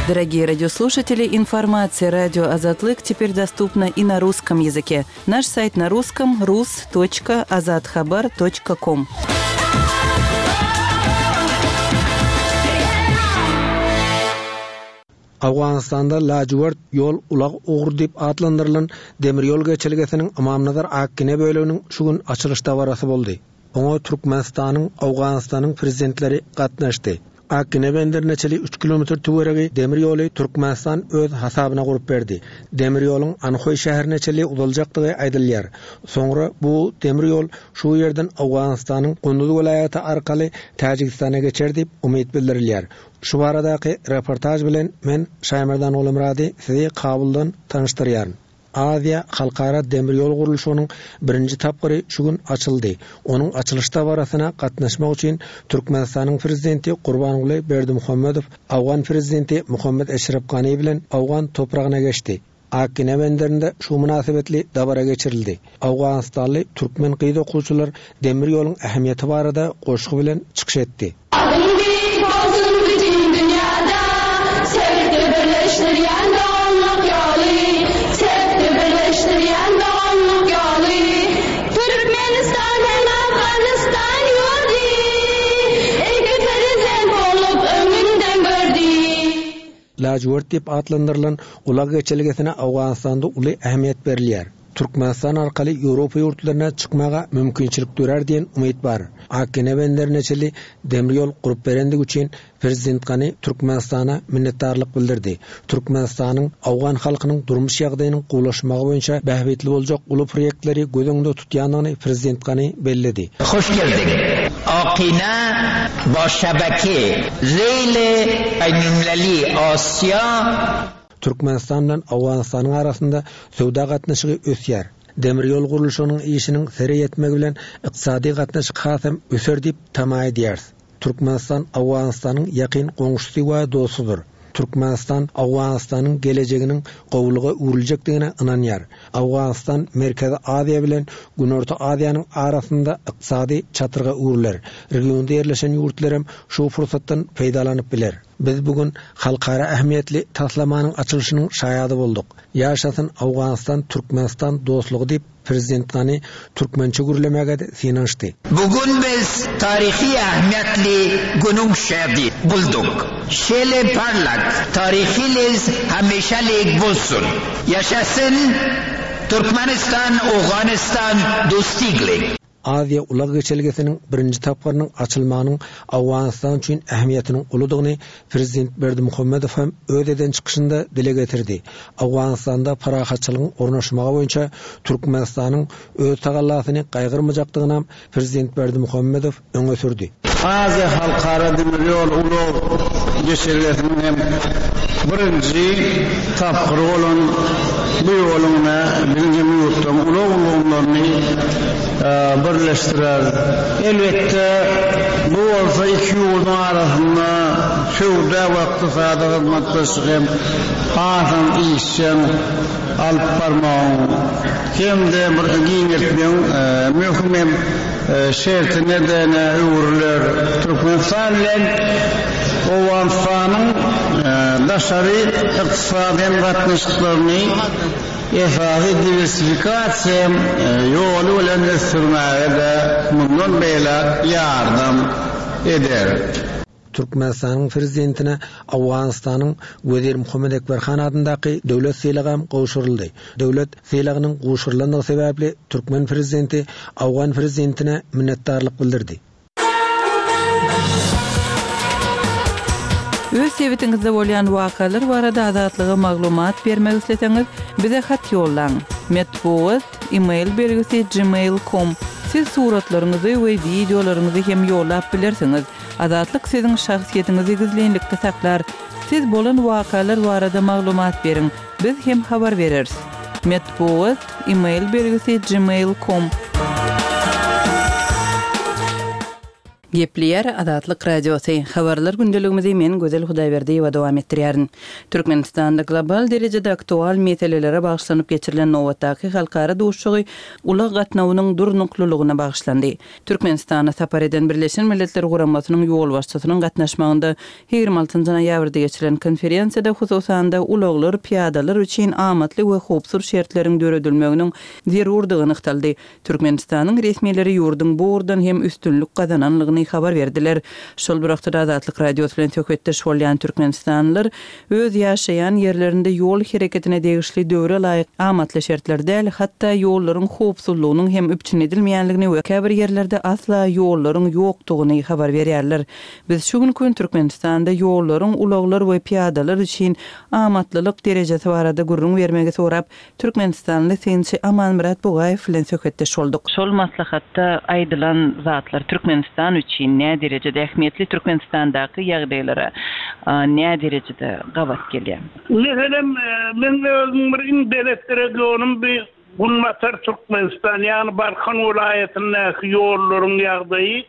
Дорогие радиослушатели, информация радио Азатлык теперь доступна и на русском языке. Наш сайт на русском rus.azathabar.com. Owganystanda Lajywert ýol ulag ugry diýip atlandyrylan demir ýol geçelgesiniň Ymamnazar-Akgine böleginiň şu gün açylyş dabarasy boldy. Oňa Türkmenistanyň, Owganystanyň Prezidentleri gatnaşdy. Akgine benderine çenli üç kilometr töweregi demir ýoly Türkmenistan öz hasabyna gurup berdi. Demir ýoluň Anhoý şäherine çenli uzaljakdygy aýdylýar. Soňra bu demir ýol şu ýerden Owganystanyň Gunduz welaýaty arkaly Täjigistana geçer diýip umyt bildirilýär. Şu baradaky reportaž bilen men Şaýmerdan Gulamyrady sizi Kabuldan tanyşdyrýaryn. Aziýa halkara demir ýol gurluşygynyň birinji tapgyry şu gün açyldy. Onuň açylyş dabarasyna gatnaşmak üçin Türkmenistanyň Prezidenti Gurbanguly Berdimuhamedow owgan Prezidenti Muhammet Eşrep Gani bilen owgan topragyna geçdi. Akgine benderinde şu mynasybetli dabara geçirildi. Owganystanly türkmen gyz okuwçylar demir ýoluň ähmiýeti barada goşgy bilen çykyş etdi. Adyň beýik bolsun bütin dünýäde, Sebitde birleşdirýän doganlyk ýoly, Sebitde birleşdirýän doganlyk ýoly. Türkmenistan hem Afganystan ýurdy, Iki prezident bolup öňünden gördi. Lajwert diýip atlandyrylan ulag geçelgesine Owganystanda uly ähmiýet berilýär. Türkmenistan arkaly Ýewropa ýurtlaryna çykmaga mümkinçilik dörär diýen umyt bar. Akgene benderine çenli demir ýol gurup berendigi üçin Prezident Gani Türkmenistana minnetdarlyk bildirdi. Türkmenistanyň owgan halkynyň durmuş ýagdaýynyň gowulaşmagy boýunça bähbitli boljak uly proýektleri göz öňünde tutýandygyny Prezident Gani belledi. Hoş geldiň, Akina ba şebeke Reyl Beýnulmileli Asiýa. Türkmenistan bilen Owganystanyň arasynda söwda gatnaşygy ösýär. Demir ýol gurluşygynyň işiniň sere ýetmegi bilen ykdysady gatnaşyk hasam öser diýip tama edýäris. Türkmenistan Owganystanyň ýakyn goňşusy we dostudyr. Türkmenistan Owganystanyň gelejeginiň gowulyga öwrüljekdigine ynanýar. Owganystan Merkezi Aziýa bilen Günorta Aziýanyň arasynda ykdysady çatryga öwrüler. Regionda ýerleşen ýurtlar hem şu pursatdan peýdalanyp biler. Biz bu gün halkara ähmiýetli taslamanyň açylyşynyň şaýady bolduk. Ýaşasyn Owganystan-Türkmenistan dostlugy diýip, Prezident Gani türkmençe gürlemäge-de synanyşdy. Bu gün biz taryhy ähmiýetli günüň şähdi bolduk. Şeýle parlak taryhylyz hemişelik bolsun! Ýaşasyn Türkmenistan-Owganystan dostlugly! Aziýa ulag geçelgesiniň birinji tapgyrynyň açylmagynyň Owganystan üçin ähmiýetiniň uludygyny prezident Berdimuhamedow hem öz eden çykyşynda dile getirdi. Owganystanda parahatçylygyň ornaşmagy boýunça Türkmenistanyň öz tagallasyny gaýgyrmajakdygynam prezident Berdimuhamedow öňe sürdi. Aziýa halkara demir ýol ulag geçelgesiniň hem birinji tapgyry bolan bu ýoluň ine biziň hem ýurtlaryň ulag ulgamlaryny birleşdirer. Elbetde, bu bolsa iki ýurduň arasynda söwda we ykdysady hyzmatdaşlygy hem hasam işjeň alyp barmagyň hem-de bir giňeltmegiň möhüm hem şertine-de öwrüler. Türkmenistan bilen Owganystanyň daşary ykdysady hem gatnaşyklaryny esasy diwersifikasiýa ýoly bilen ösdürmäge-de mundan beýläk ýardam eder. Türkmenistanyň Prezidentine Owganystanyň Wezir Muhammet Ekber han adyndaky döwlet sylagam gowşuryldy. Döwlet sylagynyň gowşurylandygy sebäpli türkmen Prezidenti owgan Prezidentine minnetdarlyk bildirdi. Öz sebitiňizde bolýan wakalar barada Azatlyga maglumat bermek isleseňiz, bize hat ýollaň. Metbugat, e-mail belgisi gmail com. Siz suratlaryňyzy we wideolaryňyzy hem ýollap bilersiňiz. Azatlyk siziň şahsyýetiňizi gizlinlikde saklar. Siz bolan wakalar barada maglumat beriň, biz hem habar bereris. Metbugat, e-mail belgisi gmail com. Gepleýär Azatlyk Radiosy, Habarlar gündeligimizi men Gözel Hudaýberdiýewa dowam etdirýärin. Türkmenistanda global derejede aktual meselelere bagyşlanyp geçirilen nobatdaky halkara duşuşygy ulag gatnawynyň durnuklylygyna bagyşlandy. Türkmenistana sapar eden Birleşen Milletler Guramasynyň ýolbaşçysynyň gatnaşmagynda 26 noýabrda geçirilen konferensiýada hususan-da ulaglar pyýadalar üçin amatly we howpsuz şertleriň döredilmeginiň zerurdygy nygtaldy. Türkmenistanyň resmileri ýurduň bu ugurdan hem üstünlik gazananlygyny habar berdiler. Şol bir wagtda-da Azatlyk Radiosy bilen söhbetdeş bolýan türkmenistanlylar öz ýaşaýan ýerlerinde ýol hereketine degişli döwre laýyk amatly şertler däl, hatda ýollaryň howpsuzlygynyň hem üpjün edilmeýänligini we käbir ýerlerde asla ýollaryň ýokdugyny habar berýärler. Biz şu günki gün Türkmenistanda ýollaryň ulaglar we pyýadalar üçin amatlylyk derejesi barada gürrüň bermegi sorap, Türkmenistanly synçy Amanmyrat Bugaýew bilen söhbetdeş bolduk. Şol maslahatda aýdylan zatlar Türkmenistan üçin näderejede ähmiýetli, Türkmenistandaky ýagdaýlara näderejede gabat gelýär? Meselem, meň özümiň bir iň belet regionym bi Günbatar Türkmenistan, ýagny Balkan welaýatyndaky ýollaryň ýagdaýy.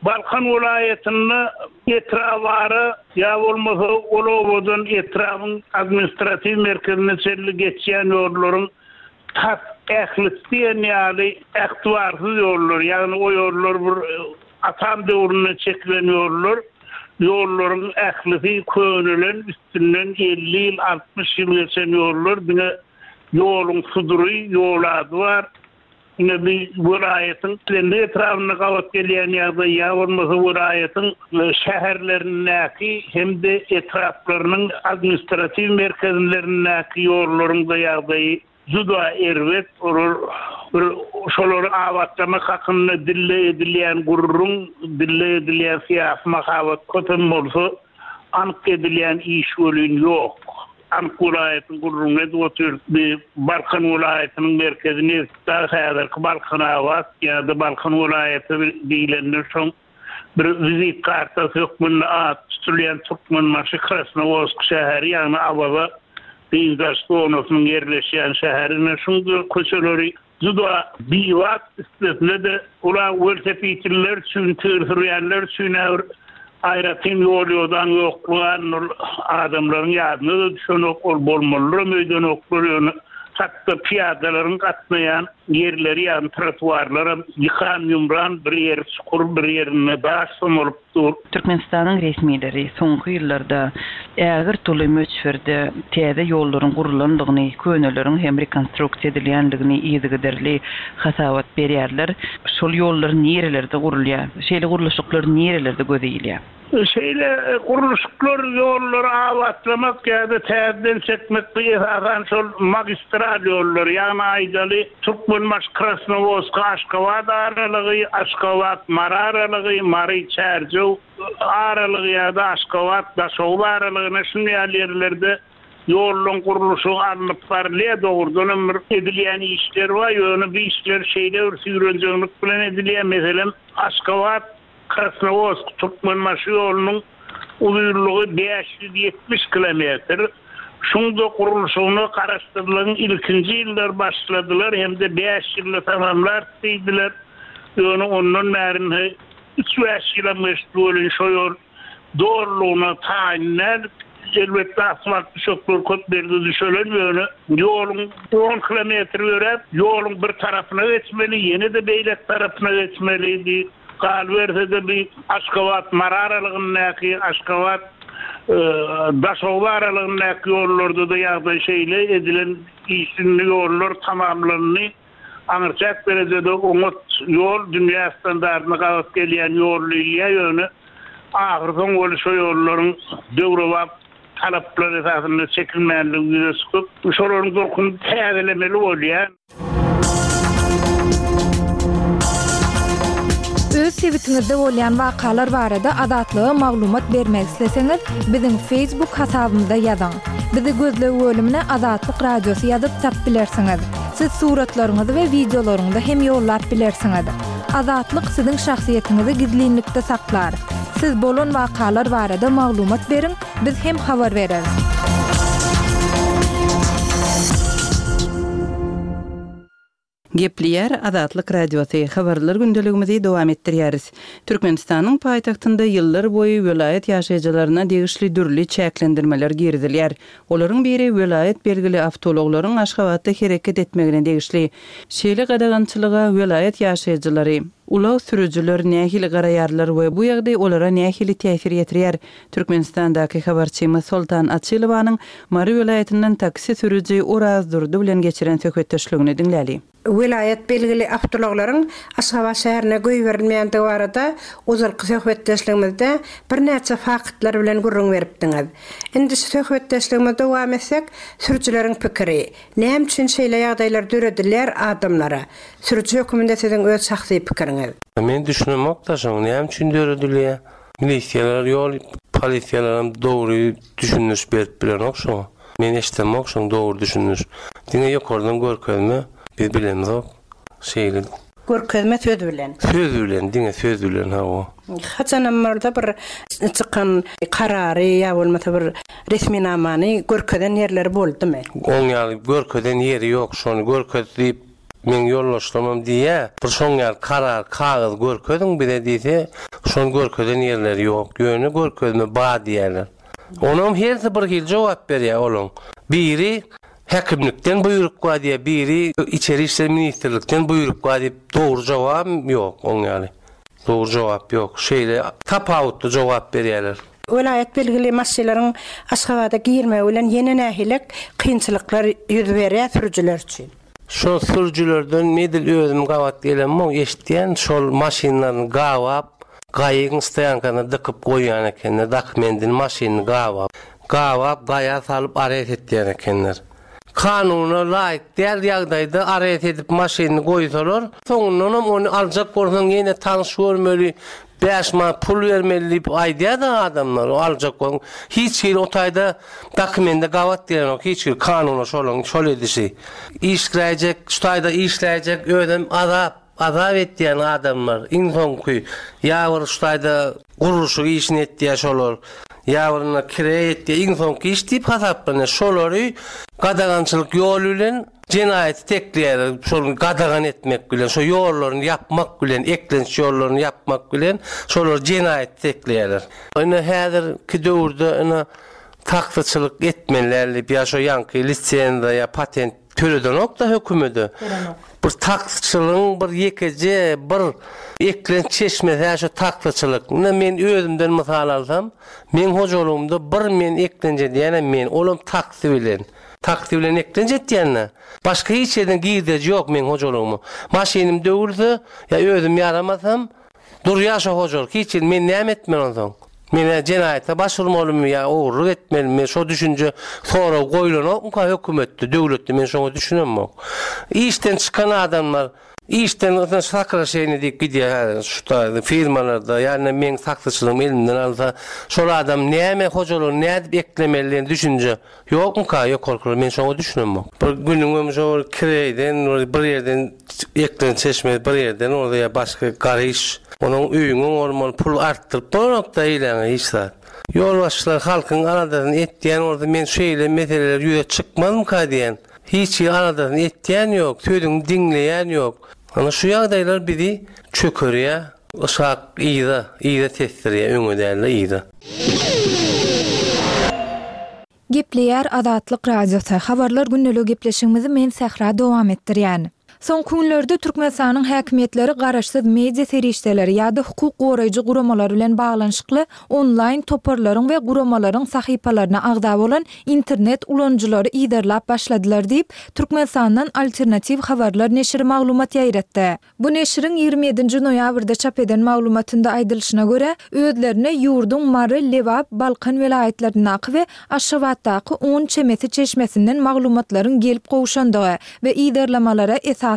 Balkan welaýatynda etrabara ýa bolmasa ol obadan etrabyň administratiw merkezine çenli geçýän ýollaryň tas ählisi diýen ýaly ähtibarsyz ýollar, ýagny o ýollar bir atam döwründe çekilen ýollar, ýollaryň ählisi könelen, üstünden 50 ýyl, 60 ýyl geçen ýollar, diňe ýoluň sudury, ýol ady bar. Ine bi welaýatyň islendik etrabynda gabat gelýän ýagdaý ýa bolmasa welaýatyň şäherlerindäki hem-de etraplarynyň administratiw merkezlerindäki ýollaryň-da ýagdaýy juda erbet. Olar bir şolary abatlamak hakynda dilde edilýän gürrüň, dilde edilýän syýasy mahabat köpem bolsa, anyk edilýän iş welin ýok. Anyk welaýatyň gürrüňini edip otyrys. Bi Balkan welaýatynyň merkezi Nebitdag, häzirki Balkanabat ýa-da Balkan welaýaty diýlende şoň bir wizit kartasy hökmünde ady tutulýan Türkmenbaşy Krasnowodsk şäheri, ýagny Awaza dynç alyş zonasynyň ýerleşýän şäheri. Ine şuň köçeleri Juda bibat, üstesine-de ulag welosipedliler üçin, tigir sürýänler üçin-ä bir aýratyn ýol-ýodaň ýoklugy ol adamlaryň ýadyna-da düşenok, ol bolmalydyram öýdenoklar, ýöne hatda pyýadalaryň gatnaýan ýerleri, ýagny trotuarlaram ýykan-ýumran, bir ýeri çukur, bir ýerinde daş somalyp dur. Türkmenistanyň resmileri soňky ýyllarda ägirt uly möçberde täze ýollaryň gurlandygyny, köneleriň hem rekonstruksiýa edilýändigini yzygiderli hasabat berýärler. Şol ýollar nirelerde gurulýar? Şeýle gurluşyklar nirelerde göze ilýär? Şeýle gurluşyklar ýollary abatlamak ýa-da täzeden çekmek bu esasan şol magistral ýollar, ýagny aýdaly, Türkmenbaşy Krasnowodsk Aşgabat aralygy, Aşgabat Mary aralygy, Mary Çärjew aralygy ýa-da Aşgabat Daşoguz aralygyna şuny ýaly ýerlerde ýollaryň gurluşygy alnyp barylýar. Dogrudan hem bir edilýän işler bar, ýöne bu işler şeýle bir süýrenjeňlik bilen edilýär. Meselem, Aşgabat Krasnowodsk, Türkmenbaşy ýolunyň uzynlygy 570 kilometr. Şuň-da gurluşygyna Garaşsyzlygyň ilkinji ýyllary başladylar hem-de bäş ýylda tamamlarys diýdiler. Ýöne ondan bäri indi üç-bäş ýylam geçdi welin şo ýol dolulygyna taýyn däl. Elbetde asfalt düşekler köp ýerde düşelen, ýöne ýoluň on kilometr ýöräp, ýoluň bir tarapyna geçmeli, ýene-de beýleki tarapyna geçmeli. Bi galyberse-de bi Aşgabat, Mary aralygyndaky, Aşgabat, Daşoguz aralygyndaky ýollarda-da ýagdaý şeýle, edilen iş indi ýollar tamamlandy. Aňryçäk derejede oňat ýol, dünýä standartyna gabat gelýän ýol diýilýär, ýöne ahyrsoň weli şo ýollaryň döwrebap talaplar esasynda çekilmänligi ýüze çykyp, şolaryň durkuny täzelemeli bolýar. Öz sebitiňizde bolýan wakalar barada Azatlyga maglumat bermek isleseňiz, biziň Facebook hasabymyza ýazyň. Bizi gözleg bölümine Azatlyk Radiosy ýazyp tap bilersiňiz. Siz suratlaryňyzy we wideolaryňyzy hem ýollap bilersiňiz. Azatlyk siziň şahsyýetiňizi gizlinlikde saklar. Siz bolan wakalar barada maglumat beriň, biz hem habar bereris. Gepleýär Azatlyk Radiosy, Habarlar gündeligimizi dowam etdirýäris. Türkmenistanyň paýtagtynda ýyllar boýy welaýat ýaşaýjylaryna degişli dürli çäklendirmeler girizilýär. Olaryň biri welaýat belgili awtoulaglaryň Aşgabatda hereket etmegine degişli. Şeýle gadagançylyga welaýat ýaşaýjylary, ulag sürüjiler nähili garaýarlar we bu ýagdaý olara nähili täsir ýetirýär? Türkmenistandaky habarçymyz Soltan Açylowanyň Mary welaýatyndan taksi sürüji Oraz Durdy bilen geçiren söhbetdeşligini diňläli. Welaýat belgili awtoulaglaryň Aşgabat şäherine goýberilmeýändigi barada ozalky söhbetdeşligimizde birnäçe faktlar bilen gürrüň beripdiňiz. Indi şu söhbetdeşligimizi dowam etsek, sürüjileriň pikiri, näme üçin şeýle ýagdaýlar döredilýär adamlara? Sürüji höküminde siziň öz şahsy pikiriňiz? Men düşünemok-da şoň näme üçin döredilýär? Milisiýalar ýol polisiýalaram dogry düşündiriş berip bilenok şoňa. Men eşdemok şoň dogry düşündiriş. Diňe ýokardan görkezme biz bilemzok. Şeýle. Görkezme söz bilen. Söz bilen diňe söz bilen hawa. Haçanam bolsa bir çykan karary ýa bolmasa bir resminamany görkezen ýerleri boldumy? Oň ýaly görkezen ýeri ýok şony görkez diýip Meň ýoldaşlarymam diýýä, bir şoň ýaly karar, kagyz görkeziň bize diýse, şony görkezen ýerleri ýok, ýöne görkezme bar diýýärler. Onam hersi bir hili jogap berýär olaň. Biri häkimlikden buýruk bar diýýär, biri içeri işler ministrlikden buýruk bar diýip, dogry jogabam ýok oň ýaly. Dogry jogap ýok. Şeýle tapawutly jogap berýärler. Welaýat belgili maşynlaryň Aşgabada girmegi bilen ýene nähilek kynçylyklar ýüz berýär sürüjiler üçin? Şol sürüjilerden edil özüm gabat gelemok, eşitýän, şol maşynlaryny gabap, gaýygyň stoýankasyna dykyp goýýan ekenler, dokumendini, maşynyny gabap. Gabap, gaýa salyp arest etýän ekenler. Kanuna laýyk däl ýagdaýda arest edip maşynyny goýsalar, soňundanam ony aljak bolsaň ýene tanyş görmeli, 5 manat pul bermeli diýip aýdýar-da adamlar, o aljak bolsaň. Hiç hili o taýda dokumende gabat gelenok, hiç hili kanuna şolaň şol edişi. Işläýjek, şu taýda işläýjek özem azap, azap etýän adamlar iň soňky ýa bir şu taýda gurluşyk işini etýär şolar, ýa bir indi kireý etýär, iň soňky iş diýip hasaplanýar. Şolary gadagançylyk ýoly bilen Jenaýaty tekleýärler, şol gadagan etmek bilen, şo ýollaryny ýapmak bilen, eklenç ýollaryny ýapmak bilen şolary jenaýaty tekleýärler. Ine häzirki döwürde ine taksyçylyk etmeli däl diýip ýa şo ýaňky lisenziýa ýa patent töledenok-da hökümede. Tölenok. Bir taksyçylygyň bir ýekeje bir eklenç çeşmesi-hä şo taksyçylyk. Ine men özümden mysal alsam, meň hojalygymda bir men eklenç edýänem men, olam taksi bilen. Taksi bilen eklenç etýän-dä. Başga hiç ýerden girdeji ýok meň hojalygyma. Maşynym döwülse, ýa özüm ýaramasam, durýar şo hojalyk. Hiç ýerde men näme etmeli onsoň? Men-ä jenaýata baş urmalymy ýa ogurlyk etmelimi? Şo düşünje, sorag goýlanokmyka hökümetde, döwletde men şoňa düşünemok. Işden çykan adamlar, işden sokraşeniýe diýip gidýär häzir şu taýda firmalarda, ýa-da meň taksyçylygym elimden alsa, şol adam näme hojalygyny nädip eklemeli diýen düşünje Ýokmyka ýokarkylar men şoňa düşünemok. Bir günüňem şo bir kireýden bir bir ýerden eklen çeşmesi bir ýerden bolsa ýa başga garyş onuň öýüňiň bolmaly pul artdyryp bolanokda eýläňe hiç zat. Ýolbaşçylar halkyň aladasyny etýän bolsa men şeýle meseleler ýüze çykmazmyka diýän. Hiç hili aladasyny etýän ýok, sözüňi diňleýän ýok. Ana şu ýagdaýlar bizi çökerýär. Yshak yza, yza tesdirýär, öňe däl-de yza. Gepleýär Azatlyk Radiosy, Habarlar gündeligi gepleşigimizi men Sähra dowam etdirýän. Soňky günlerde Türkmenistanyň häkimiýetleri garaşsyz media serişdeleri ýa-da hukuk goraýjy guramalar bilen baglanyşykly onlaýn toparlaryň we guramalaryň sahypalaryna agza bolan internet ulanyjylary yzarlap başladylar diýip, Türkmenistandan Alternatiw habarlar neşiri maglumat ýaýratdy. Bu neşiriň 27 nji noýabrda çap eden maglumatynda aýdylyşyna görä, özlerine ýurduň Mary, Lebap, Balkan welaýatlaryndaky we Aşgabatdaky on çemesi çeşmesinden maglumatlaryň gelip gowşandygy we yzarlamalara esasan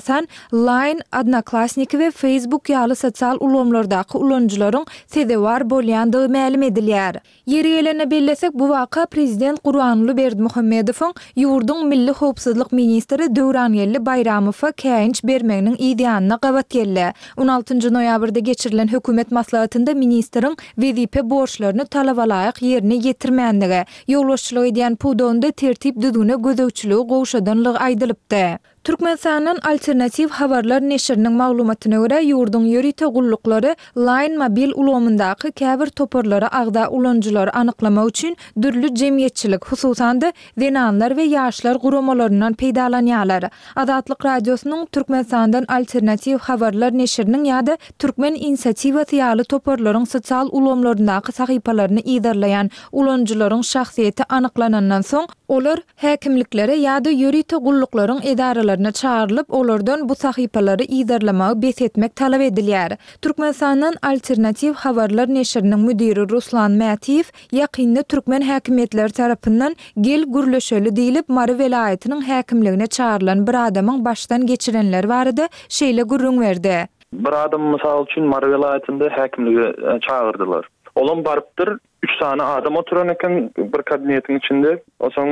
Line, Odnoklassniki we Facebook ýaly sosial ulgamlardaky ulanyjylaryň sezewar bolýandygy mälim edilýär. Ýeri gelende bellesek, bu waka prezident Gurbanguly Berdimuhamedowyň ýurduň milli howpsuzlyk ministri Döwrangeldi Baýramowa käýinç bermeginiň yz ýanyna gabat geldi. On altynjy noýabrda geçirilen hökümet maslahatynda ministriň wezipe borçlaryny talabalaýyk ýerine ýetirmänligi, ýolbaşçylyk edýän pudagynda tertip-düzgüne gözegçiligi gowşadanlygy aýdylypdy. Türkmenistandan Alternatiw habarlar neşiriniň maglumatyna görä, ýurduň ýörite gulluklary Line mobil ulgamyndaky käbir toparlara agza ulanyjylary anyklamak üçin dürli jemgyýetçilik, hususan-da, zenanlar we ýaşlar guramalaryndan peýdalanýarlar. Azatlyk Radiosynyň Türkmenistandan Alternatiw habarlar neşiriniň ýa-da Türkmen inisiatiwasy ýaly toparlaryň sosial ulgamlaryndaky sahypalaryny yzarlaýan ulanyjylaryň şahsyýeti anyklanandan soň, olar häkimliklere ýa-da ýörite gulluklaryň edaralaryna çagyrylyp, olardan bu sahypalary yzarlamagy bes etmek talap edilýär. Türkmenistandan Alternatiw habarlar neşiriniň müdiri Ruslan Mätiýew ýakynda türkmen häkimiýetleri tarapyndan Gel, gürleşeli diýlip, Mary welaýatynyň häkimligine çagyrylan bir adamyň başdan geçirenleri barada şeýle gürrüň berdi. Bir adamy mysal üçin Mary welaýatynda häkimlige çagyrdylar. Olam barypdyr, üç sany adam oturan eken bir kabinetiň içinde. Onsoň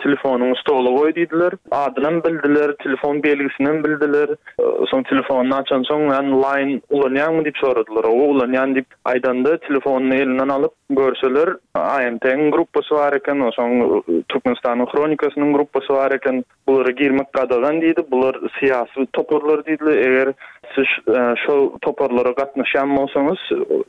telefonyňy stola goý diýdiler. Adynam bildiler, telefon belgisinem bildiler. Soň telefonyny açansoň, ýa line ulanýaňmy diýip soradylar. Hawa ulanýan diýip aýdanda telefonyny elinden alyp görseler, AMT-iň gruppasy bar eken, onsoň Türkmenistanyň Hronikasynyň gruppasy bar eken. Bulara girmek gadagan diýdi, bular syýasy toparlar diýdiler, eger siz şol toparlara gatnaşýan bolsaňyz,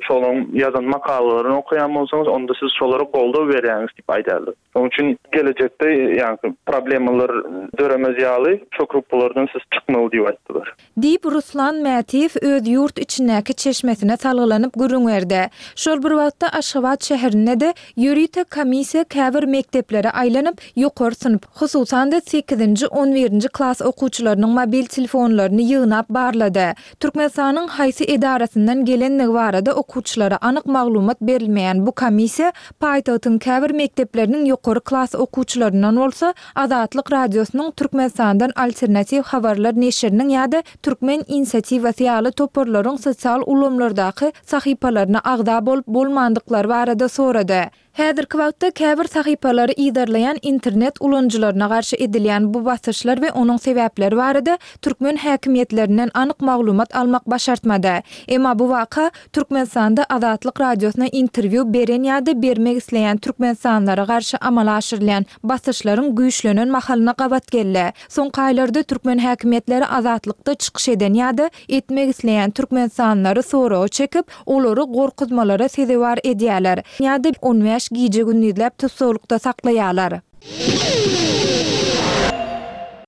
şolaryň ýazan makalalaryny okaýan bolsaňyz, onda siz şolara goldaw berýäňiz diýip aýdýarlar. Şonuň üçin gelejekde ýaňky problemalar döremez ýaly şo gruppalardan siz çykmaly diýip aýtdylar. Diýip, Ruslan Mätiýew öz ýurt içindäki çeşmesine salgylanyp gürrüň berdi. Şol bir wagtda, Aşgabat şäherinde-de ýörite komissiýa käbir mekdeplere aýlanyp, ýokary synp, hususan-da, sekizinji, on birinji klas okuwçylarynyň mobil telefonlaryny ýygnap barlady. Türkmenistanyň haýsy edarasyndan gelenligi barada okuwçylara anyk maglumat berilmeýän bu komissiýa paýtagtyň käbir mekdepleriniň ýokary klas okuwçylaryndan bolsa Azatlyk Radiosynyň Türkmenistandan Alternatiw habarlar neşiriniň ýa-da Türkmen inisiatiwasy ýaly toparlaryň sosial ulgamlardaky sahypalaryna agza bolup bolmandyklary barada sorady. Häzirki wagtda käbir sahypalary yzarlaýan internet ulanyjylaryna garşy edilýän bu basyşlar we onuň sebäpleri barada türkmen häkimiýetlerinden anyk maglumat almak başartmady. Emma bu waka Türkmenistanda Azatlyk Radiosyna interwýu beren ýa-da bermek isleýän türkmenistanlylara garşy amala aşyrylýan basyşlaryň güýçlenen mahalyna gabat geldi. Soňky aýlarda türkmen häkimiýetleri Azatlykda çykyş eden ýa-da etmek isleýän türkmenistanlylary soraga çekip, olary gorkuzmalara sezewar edýärler ýa-da on bäş gije-gündizläp tussaglykda saklaýarlar.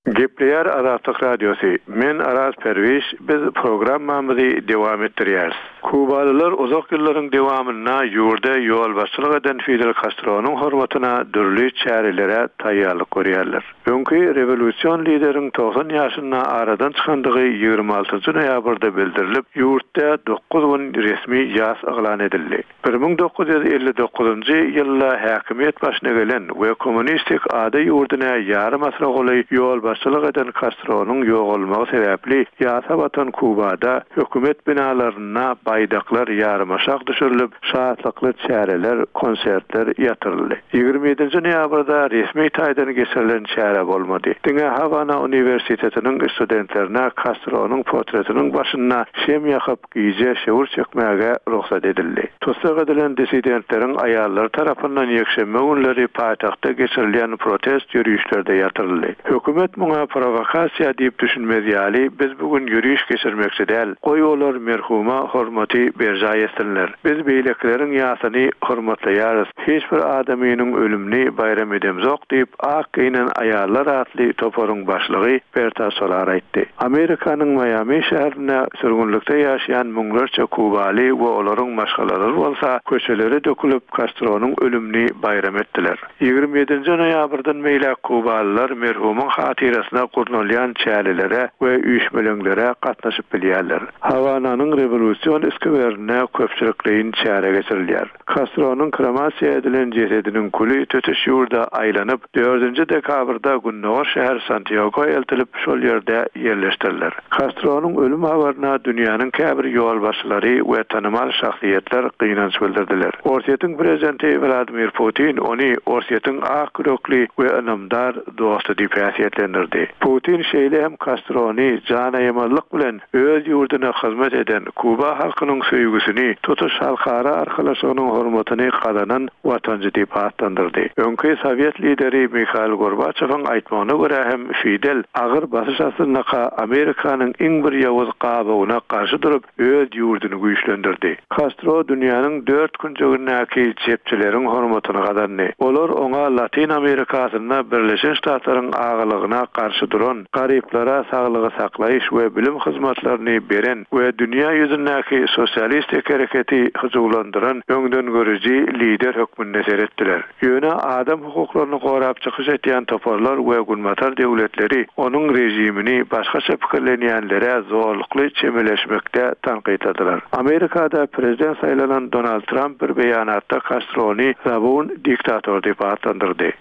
Gepleýär Azatlyk Radiosy, Men Araz Perwiş, biz programmamyzy dowam etdirýäris. Kubalylar uzak ýyllaryň dowamynda ýurda ýolbaşçylyk eden Fidel Kastronyň hormatyna dürli çärelere taýýarlyk görýärler. Öňki rewolýusion lideriň 90 ýaşynda aradan çykandygy 26 noýabrda bildirilip, ýurtda dokuz gün resmi ýas yglan edildi. 1959-njy ýylda häkimiýet başyna gelen we kommunistik ada ýurduna ýarym asyra golaý ýolbaşçylyk eden Kastronyň ýogalmagy sebäpli ýasa batan Kubada hökümet binalarynda baýdaklar ýarymaşak düşürilip, şatlykly çäreler, konsertler ýatyryldy. 27-nji noýabrda resmi taýdan geçirilen çäre bolmady. Diňe Hawana uniwersitetiniň studentlerine Kastronyň portretiniň başynda şem ýakyp, Gije şöwür çekmäge rugsat edildi. Tussag edilen dissidentleriň aýallary tarapyndan ýekşenbe günleri paýtagtda geçirilýän protest ýörişlerde ýatyryldy. Hökümet muňa prowokasiýa diýip düşünmez ýaly, biz bu gün ýöriş geçirmekçi däl, goý olar merhuma hormaty berjaý etsinler. Biz beýlekileriň ýasyny hormatlaýarys, hiç bir adamynyň ölümini baýram edemzok diýip, Ak geýnen aýallar atly toparyň başlygy Berta Solar aýtdy. Amerikanyň Maýami şäherinde sürgünlikde ýaşaýan müňlerçe kubaly we olaryň maşgalalary bolsa köçelere dökülip, Kastronyň ölümini baýram etdiler. 27-nji noýabrdan beýläk kubalylar merhumyň hatyrasyna gurnalýan çärelere we üýşmeleňlere gatnaşyp bilýärler. Hawananyň Rewolýusion skwerinde köpçülikleýin çäre geçirilýär. Kastronyň kremasiýa edilen jesediniň küli tutuş ýurda aýlanyp, dördünji dekabrda gündogar şäher Santýago eltilip, şol ýerde ýerleşdiriler. Kastronyň ölüm habaryna dünýäniň käbir ýolbaşçylary we tanymal şahsyýetler gynanç bildirdiler. Orsýetiň prezidenti Wladimir Putin ony Orsýetiň ak ýürekli we ynamdar dosty diýip häsiýetlendirdi. atlandyrdy. Putin şeýle hem Kastrony janaýamazlyk bilen öz ýurduna hyzmat eden, Kuba halkynyň söýgüsini, tutuş halkara arkalaşygynyň hormatyny gazanan watançy diýip atlandyrdy. Öňki sowet lideri Mihail Gorbaçowyň aýtmagyna görä hem Fidel agyr basyş astyndaka Amerikanyň iň bir ýowuz gabawyna garşy durup, öz ýurduny güýçlendirdi. Kastro dünýäniň dört künjegindäki çepçileriň hormatyny gazandy. Olar oňa Latyn Amerikasynda Birleşen Ştatlaryň agalygyna garşy duran, garyplara saglygy saklaýyş we bilim hyzmatlaryny beren we dünýä ýüzündäki sosialistik hereketi hyjuwlandyran öňdengörüji lider hökmünde seretdiler. Ýöne adam hukuklaryny gorap çykyş etýän toparlar we Günbatar döwletleri onuň režimini başgaça pikirlenýänlere zorlukly çemeleşmekde tankytladylar. Amerikada prezident saýlanan Donald Tramp bir beýanatda Kastrony zabun diktator diýip atlandyrdy.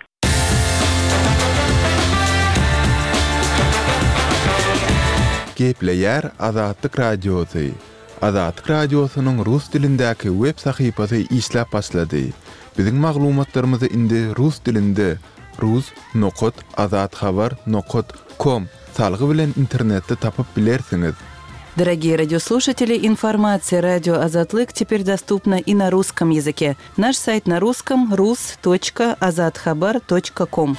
Gepleýär Azatlyk Radiosy, Azatlyk Radiosynyň rus dilindäki web sahypasy işläp başlady. Biziň maglumatlarymyzy indi rus dilinde rus nokat azathabar nokat kom salgy bilen internetde tapyp bilersiňiz. Дорогие радиослушатели, информация радио Азатлык теперь доступна и на русском языке. Наш сайт на русском rus точка azathabar точка ком.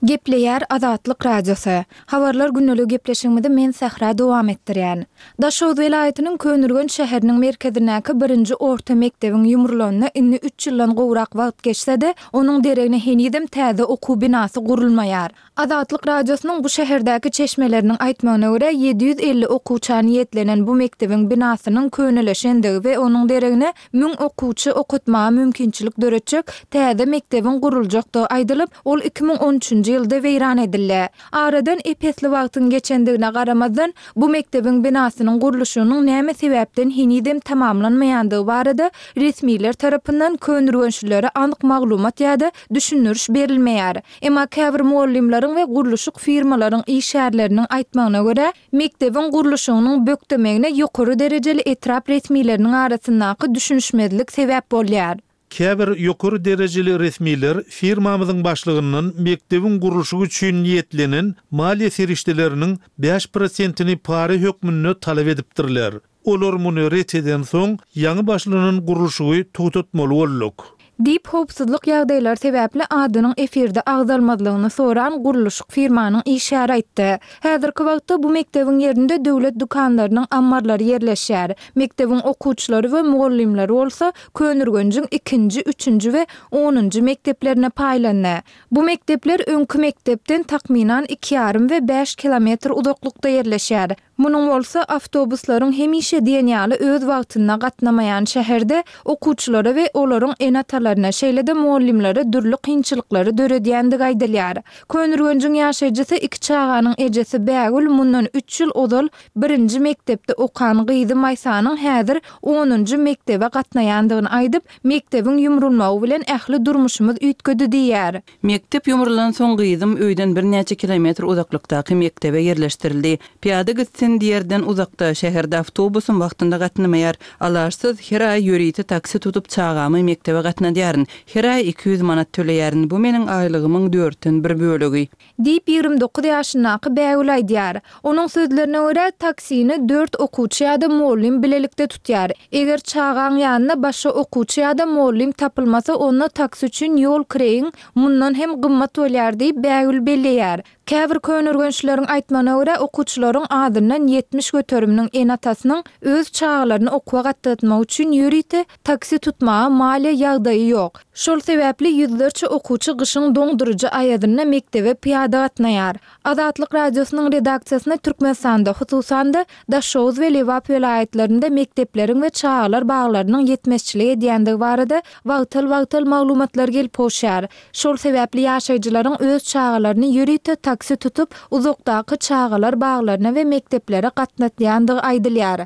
Gepleýär Azatlyk Radiosy. Habarlar gündeligi gepleşigimizi men Sähra dowam etdirýän. Daşoguz welaýatynyň Köneürgenç şäheriniň merkezindäki birinji orta mekdebiň ýumrulanyna indi üç ýyldan gowrak wagt geçse-de, onuň deregine henizem täze okuw binasy gurulmaýar. Azatlyk Radiosynyň bu şäherdäki çeşmeleriniň aýtmagyna görä, 750 okuwça niýetlenen bu mekdebiň binasynyň könelişendigi we onuň deregine müň okuwçy okatmaga mümkinçilik döretjek täze mekdebiň guruljakdygy aýdylyp, ol 2013-nji ýylda weýran edildi. Aradan ep-esli wagtyň geçendigine garamazdan, bu mekdebiň binasynyň gurluşygynyň näme sebäpden henizem tamamlanmaýandygy barada resmiler tarapyndan köneürgençlilere anyk maglumat ýa-da düşündiriş berilmeýär. Emma käbir mugallymlaryň we gurluşyk firmalaryň işgärleriniň aýtmagyna görä, mekdebiň gurluşygynyň bökdemegine ýokary derejeli etrap resmileriniň arasyndaky düşünişmezlik sebäp bolýar. Käbir ýokary derejeli resmiler firmamyzyň başlygyndan mekdebiň gurluşygy üçin niýetlenen maliýe serişdeleriniň bäş prosentini para hökmünde talap edipdirler. Olar muny ret edensoň, ýaňy başlanan gurluşygy togtatmaly bolduk. Diýip, howpsuzlyk ýagdaýlary sebäpli adynyň efirde agzalmazlygyny soran gurluşyk firmanyň işgäri aýtdy. Häzirki wagtda bu mekdebiň ýerinde döwlet dükanlarynyň ammarlary ýerleşýär. Mekdebiň okuwçylary we mugallymlary bolsa Köneürgenjiň ikinji, üçünji we onunjy mekdeplerine paýlandy. Bu mekdepler öňki mekdepden takmynan iki ýarym we bäş kilometr uzaklykda ýerleşýär. Munuň bolsa awtobuslaryň hemişe diýen ýaly öz wagtynda gatnamaýan şäherde okuwçylara we olaryň ene-atalaryna, şeýle-de mugallymlara dürli kynçylyklary döredýändigi aýdylýar. Köneürgenjiň ýaşaýjysy, iki çaganyň ejesi Bägül mundan üç ýyl ozal birinji mekdepde okan gyzy Maýsanyň häzir onunjy mekdebe gatnaýandygyny aýdyp, Mekdebiň ýumrulmagy bilen ähli durmuşymyz üýtgedi diýýär. Mekdep ýumrulansoň gyzym öýden birnäçe kilometr uzaklykdaky mekdebe ýerleşdirildi. Pyýada gitsin diýerden uzakda, şäherde awtobusam wagtynda gatnamaýar. Alaçsyz her aý ýörite taksi tutup çagamy mekdebe gatnadýaryn. Her aý 200 manat töleýärin, bu meniň aýlygymyň dörtden bir bölegi. Diýip, 29 ýaşyndaky Bägül aýdýar. Onuň sözlerine görä, taksini dört okuwçy ýa-da mugallym bilelikde tutýar. Eger çagaň ýanyna başga okuwçy ýa-da mugallym tapylmasa, onda taksi üçin ýol kireýiň mundan hem gymmat bolýar diýip, Bägül belleýär. Käbir köneürgençlileriň aýtmagyna görä, okuwçylaryň azyndan 70 göteriminiň ene-atasynyň öz çagalaryny okuwa gatnatmak üçin ýörite taksi tutmaga maliýe ýagdaýy ýok. Şol sebäpli ýüzlerçe okuwçy gyşyň doňduryjy aýazynda mekdebe pyýada gatnaýar. Azatlyk Radiosynyň redaksiýasyna Türkmenistanda, hususan-da, Daşoguz we Lebap welaýatlarynda mekdepleriň we çagalar baglarynyň ýetmezçilik edýändigi barada wagtal-wagtal maglumatlar gelip gowşýar. Şol sebäpli ýaşaýjylaryň öz çagalaryny ýörite taksi tutup, uzakdaky çagalar baglaryna we mekdeplere gatnatýandygy aýdylýar.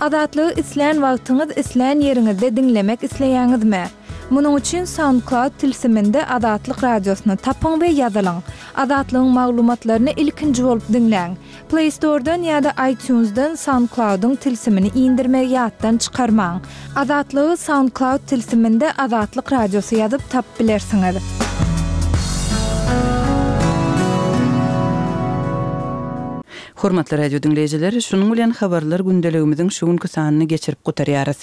Azatlygy islän wagtyňyz, islän ýeriňizde diňlemek isleýäňizmi? Munuň üçin SoundCloud tilsiminde Azatlyk Radiosyny tapyň we ýazylyň. Azatlygyň maglumatlaryny ilkinji bolup diňläň. Play Store-dan ýa-da iTunes-dan SoundCloud-yň tilsimini indirmegi ýatdan çykarmaň. Azatlygy SoundCloud tilsiminde Azatlyk Radiosy ýazyp tapyp bilersiňiz. Hormatly radio diňleýjiler, şunuň bilen Habarlar gündeligimiziň şu günki sanyny geçirip gutarýarys.